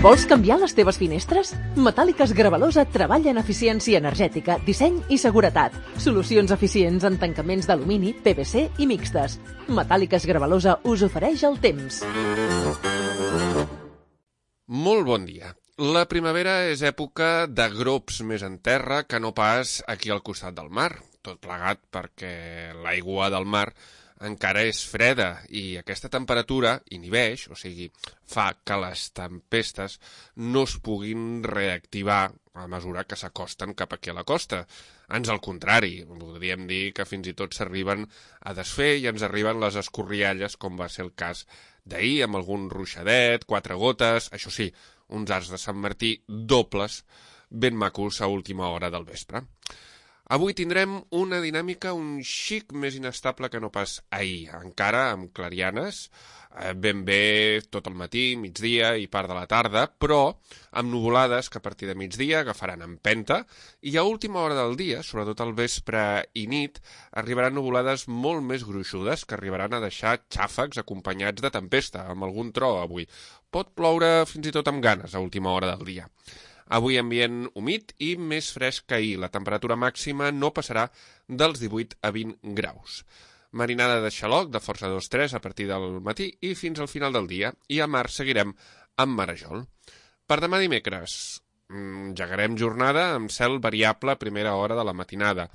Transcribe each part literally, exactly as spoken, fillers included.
Vols canviar les teves finestres? Metàl·liques Gravalosa treballa en eficiència energètica, disseny i seguretat. Solucions eficients en tancaments d'alumini, P V C i mixtes. Metàl·liques Gravalosa us ofereix el temps. Molt bon dia. La primavera és època de grops més en terra que no pas aquí al costat del mar. Tot plegat perquè l'aigua del mar encara és freda i aquesta temperatura inhibeix, o sigui, fa que les tempestes no es puguin reactivar a mesura que s'acosten cap aquí a la costa. Ans al contrari, podríem dir que fins i tot s'arriben a desfer i ens arriben les escorrialles, com va ser el cas d'ahir, amb algun ruixadet, quatre gotes, això sí, uns arcs de Sant Martí dobles, ben macos a última hora del vespre. Avui tindrem una dinàmica un xic més inestable que no pas ahir, encara amb clarianes, ben bé tot el matí, migdia i part de la tarda, però amb nuvolades que a partir de migdia agafaran empenta i a última hora del dia, sobretot al vespre i nit, arribaran nuvolades molt més gruixudes que arribaran a deixar xàfecs acompanyats de tempesta, amb algun tro avui. Pot ploure fins i tot amb ganes a última hora del dia. Avui ambient humit i més fresc que ahir. La temperatura màxima no passarà dels divuit a vint graus. Marinada de xaloc de força dos tres a partir del matí i fins al final del dia. I a mar seguirem amb marejol. Per demà dimecres, engegarem jornada amb cel variable a primera hora de la matinada.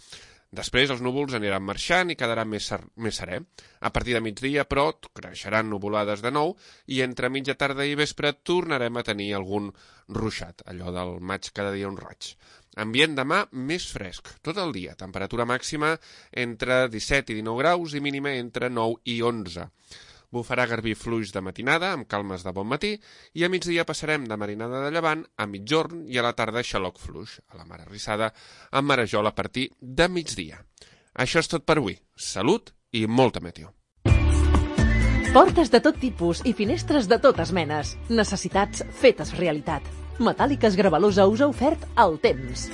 Després els núvols aniran marxant i quedarà més, ser, més serè. A partir de migdia, però, creixeran nuvolades de nou i entre mitja tarda i vespre tornarem a tenir algun ruixat, allò del maig cada dia un raig. Ambient demà més fresc, tot el dia. Temperatura màxima entre disset i dinou graus i mínima entre nou i onze. Bufarà garbí fluix de matinada, amb calmes de bon matí, i a migdia passarem de marinada de llevant a mitjorn i a la tarda xaloc fluix, a la mar arrissada, amb marejol a partir de migdia. Això és tot per avui. Salut i molta meteo. Portes de tot tipus i finestres de totes menes. Necessitats fetes realitat. Metàl·liques Gravalosa us ha ofert el temps.